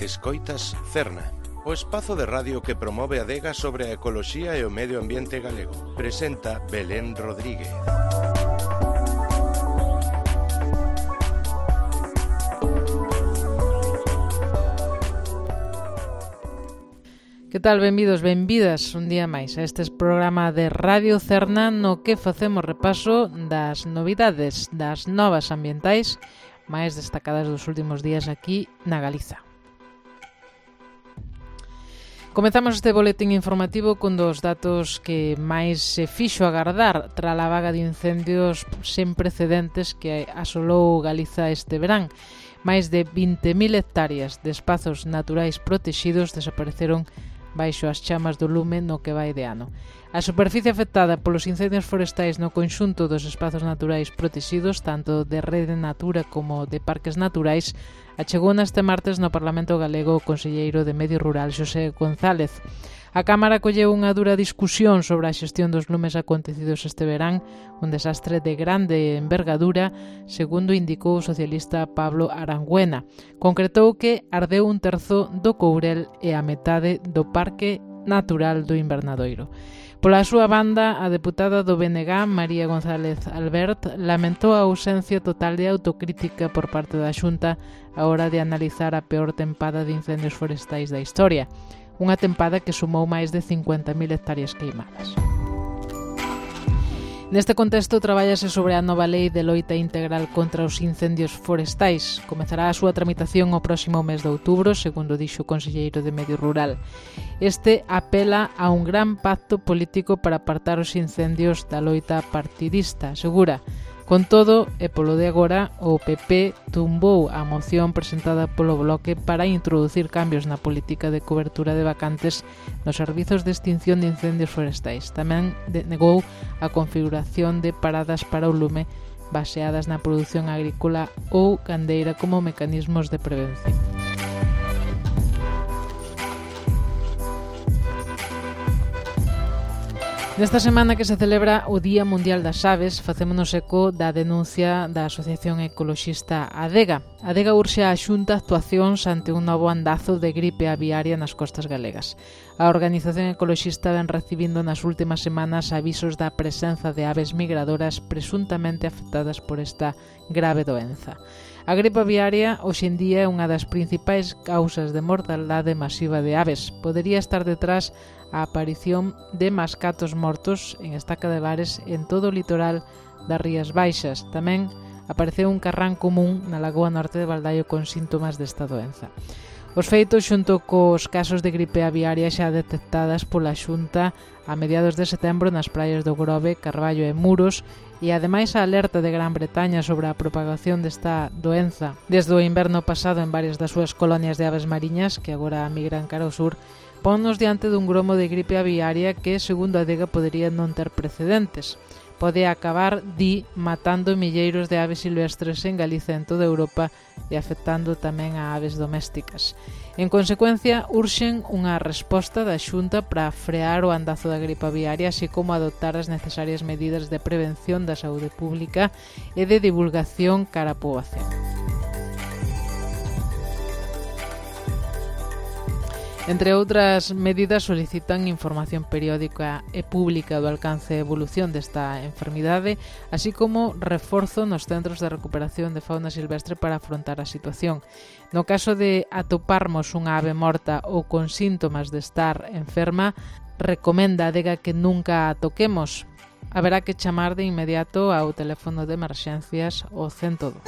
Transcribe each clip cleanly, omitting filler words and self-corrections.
Escoitas Cerna, o espazo de radio que promove a adega sobre a ecoloxía e o medio ambiente galego. Presenta Belén Rodríguez. Que tal? Benvidos, benvidas un día máis a este programa de Radio Cerna no que facemos repaso das novidades, das novas ambientais máis destacadas dos últimos días aquí na Galiza. Comezamos este boletín informativo con dos datos que máis se fixo agardar tras a vaga de incendios sen precedentes que asolou Galiza este verán. Máis de 20.000 hectáreas de espazos naturais protexidos desapareceron baixo as chamas do lume no que vai de ano. A superficie afectada polos incendios forestais no conxunto dos espazos naturais protexidos, tanto de Rede Natura como de parques naturais, achegou neste martes no Parlamento Galego o conselleiro de Medio Rural, Xosé González. A Cámara colleu unha dura discusión sobre a xestión dos lumes acontecidos este verán, un desastre de grande envergadura, segundo indicou o socialista Pablo Arangüena. Concretou que ardeu un terzo do Courel e a metade do Parque Natural do Invernadoiro. Pola súa banda, a deputada do BNG, María González Albert, lamentou a ausencia total de autocrítica por parte da Xunta a hora de analizar a peor tempada de incendios forestais da historia. Unha tempada que sumou máis de 50.000 hectáreas queimadas. Neste contexto, trabállase sobre a nova lei de loita integral contra os incendios forestais. Comezará a súa tramitación o próximo mes de outubro, segundo dixo o conselleiro de Medio Rural. Este apela a un gran pacto político para apartar os incendios da loita partidista, asegura. Con todo, e polo de agora, o PP tumbou a moción presentada polo Bloque para introducir cambios na política de cobertura de vacantes nos servizos de extinción de incendios forestais. Tamén negou a configuración de paradas para o lume baseadas na produción agrícola ou gandeira como mecanismos de prevención. Nesta semana que se celebra o Día Mundial das Aves, facémonos eco da denuncia da Asociación Ecoloxista Adega. Adega urxe a Xunta actuacións ante un novo andazo de gripe aviaria nas costas galegas. A organización ecoloxista ven recibindo nas últimas semanas avisos da presenza de aves migradoras presuntamente afectadas por esta grave doenza. A gripe aviaria hoxe en día é unha das principais causas de mortaldade masiva de aves. Podería estar detrás a aparición de mascatos mortos en estaca de bares en todo o litoral das Rías Baixas. Tamén apareceu un carrán común na lagoa norte de Baldaio con síntomas desta doenza. Os feitos xunto cos casos de gripe aviaria xa detectadas pola Xunta a mediados de setembro nas praias do Grove, Carballo e Muros, e ademais a alerta de Gran Bretaña sobre a propagación desta doenza desde o inverno pasado en varias das súas colonias de aves mariñas que agora migran cara ao sur, ponnos diante dun gromo de gripe aviaria que, segundo a Adega, podería non ter precedentes. Pode acabar, matando milleiros de aves silvestres en Galiza e en toda Europa e afectando tamén a aves domésticas. En consecuencia, urxen unha resposta da Xunta para frear o andazo da gripe aviaria, así como adoptar as necesarias medidas de prevención da saúde pública e de divulgación cara á poboación. Entre outras medidas, solicitan información periódica e pública do alcance e evolución desta enfermidade, así como reforzo nos centros de recuperación de fauna silvestre para afrontar a situación. No caso de atoparmos unha ave morta ou con síntomas de estar enferma, recomenda a Adega que nunca a toquemos. Haberá que chamar de inmediato ao teléfono de emerxencias o 112.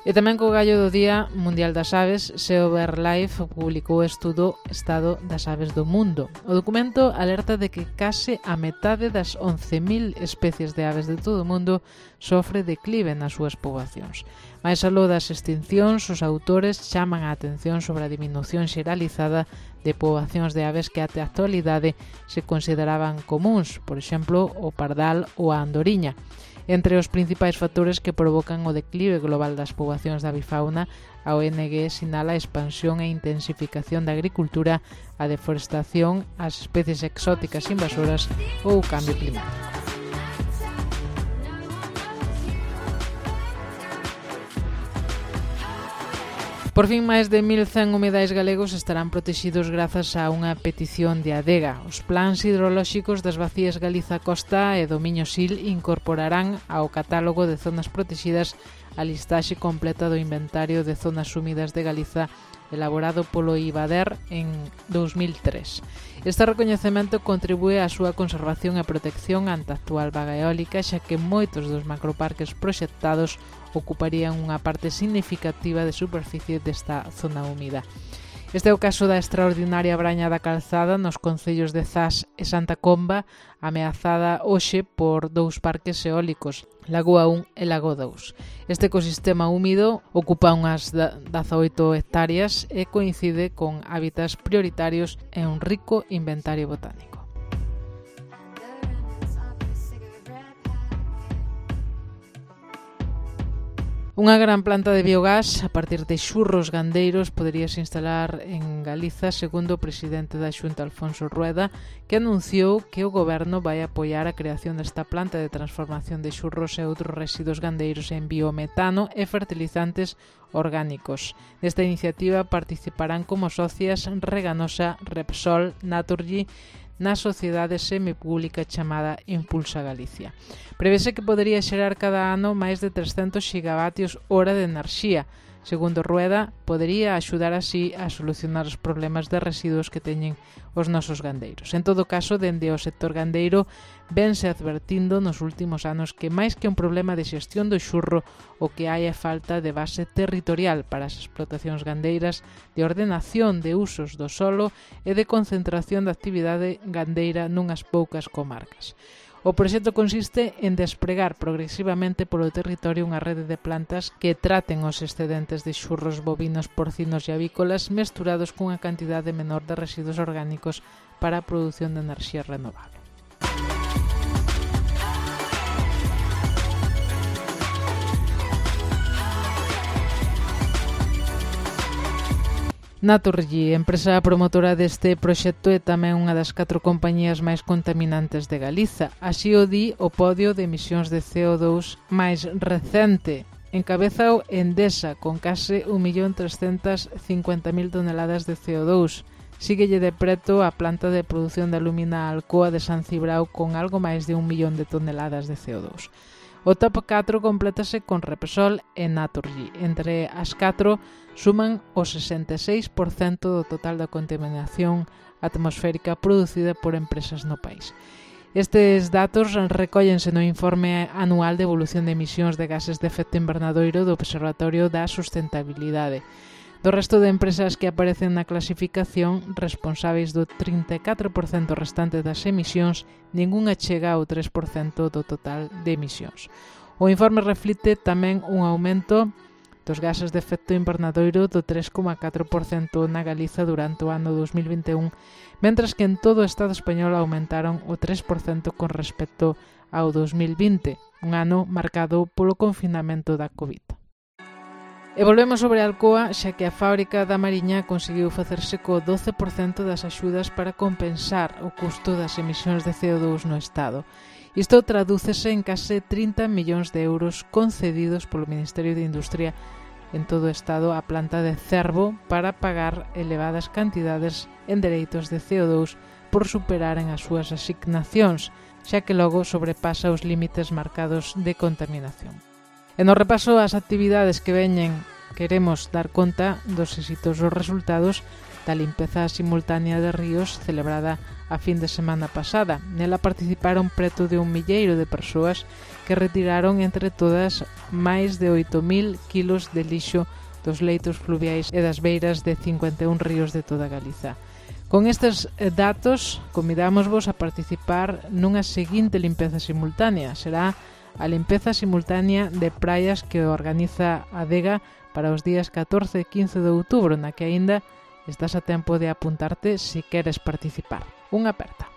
E tamén co gallo do Día Mundial das Aves, SEO BirdLife publicou o estudo Estado das Aves do Mundo. O documento alerta de que case a metade das 11.000 especies de aves de todo o mundo sofre declive nas súas poboacións. Mais aló das extincións, os autores chaman a atención sobre a diminución xeralizada de poboacións de aves que até a actualidade se consideraban comúns, por exemplo, o pardal ou a andoriña. Entre os principais factores que provocan o declive global das poboacións da avifauna, a ONG sinala a expansión e intensificación da agricultura, a deforestación, as especies exóticas invasoras ou o cambio climático. Por fin, máis de 1.100 humidais galegos estarán protegidos grazas a unha petición de Adega. Os plans hidrolóxicos das Bacías Galiza Costa e do Miño Sil incorporarán ao catálogo de zonas protegidas a listaxe completa do inventario de zonas húmidas de Galiza elaborado polo IBADER en 2003. Este recoñecemento contribúe á súa conservación e protección ante a actual vaga eólica, xa que moitos dos macroparques proxectados ocuparían unha parte significativa de superficie desta zona húmida. Este é o caso da extraordinaria Braña da Calzada nos concellos de Zas e Santa Comba, ameazada hoxe por dous parques eólicos, Lagoa 1 e Lago 2. Este ecosistema húmido ocupa unhas 18 hectáreas e coincide con hábitats prioritarios e un rico inventario botánico. Unha gran planta de biogás a partir de xurros gandeiros poderíase instalar en Galiza, segundo o presidente da Xunta, Alfonso Rueda, que anunciou que o goberno vai apoiar a creación desta planta de transformación de xurros e outros residuos gandeiros en biometano e fertilizantes orgánicos. Nesta iniciativa participarán como socias Reganosa, Repsol, Naturgy, na sociedade semipública chamada Impulsa Galicia. Prevese que podería xerar cada ano máis de 300 gigavatios hora de enerxía. Segundo Rueda, podería axudar así a solucionar os problemas de residuos que teñen os nosos gandeiros. En todo caso, dende o sector gandeiro vense advertindo nos últimos anos que máis que un problema de xestión do xurro, o que hai é falta de base territorial para as explotacións gandeiras, de ordenación de usos do solo e de concentración da actividade gandeira nunhas poucas comarcas. O proxecto consiste en despregar progresivamente polo territorio unha rede de plantas que traten os excedentes de xurros bovinos, porcinos e avícolas mesturados cunha cantidade menor de residuos orgánicos para a produción de enerxía renovable. Naturgy, empresa promotora deste proxecto, é tamén unha das 4 compañías máis contaminantes de Galiza. Así o di o podio de emisións de CO2 máis recente. Encabeza Endesa, con case 1.350.000 toneladas de CO2. Síguelle de preto a planta de produción de alumina Alcoa de San Cibrao, con algo máis de 1 millón de toneladas de CO2. O top 4 complétase con Repsol e Naturgy. Entre as 4 suman o 66% do total da contaminación atmosférica producida por empresas no país. Estes datos recóllense no informe anual de evolución de emisións de gases de efecto invernadoiro do Observatorio da Sustentabilidade. Do resto de empresas que aparecen na clasificación, responsáveis do 34% restante das emisións, ningunha chega ao 3% do total de emisións. O informe reflite tamén un aumento dos gases de efecto invernadoiro do 3,4% na Galiza durante o ano 2021, mentras que en todo o Estado español aumentaron o 3% con respecto ao 2020, un ano marcado polo confinamento da COVID. E volvemos sobre Alcoa, xa que a fábrica da Mariña conseguiu facerse co 12% das axudas para compensar o custo das emisións de CO2 no Estado. Isto tradúcese en case 30 millóns de euros concedidos polo Ministerio de Industria en todo o Estado á planta de Cervo para pagar elevadas cantidades en dereitos de CO2 por superaren as súas asignacións, xa que logo sobrepasa os límites marcados de contaminación. E no repaso ás actividades que veñen, queremos dar conta dos exitosos resultados da limpeza simultánea de ríos celebrada a fin de semana pasada. Nela participaron preto de 1.000 de persoas que retiraron entre todas máis de 8.000 kilos de lixo dos leitos fluviais e das beiras de 51 ríos de toda Galiza. Con estes datos, convidámosvos a participar nunha seguinte limpeza simultánea. Será a limpeza simultánea de praias que organiza a Adega para os días 14 e 15 de outubro, na que aínda estás a tempo de apuntarte se queres participar. Unha aperta.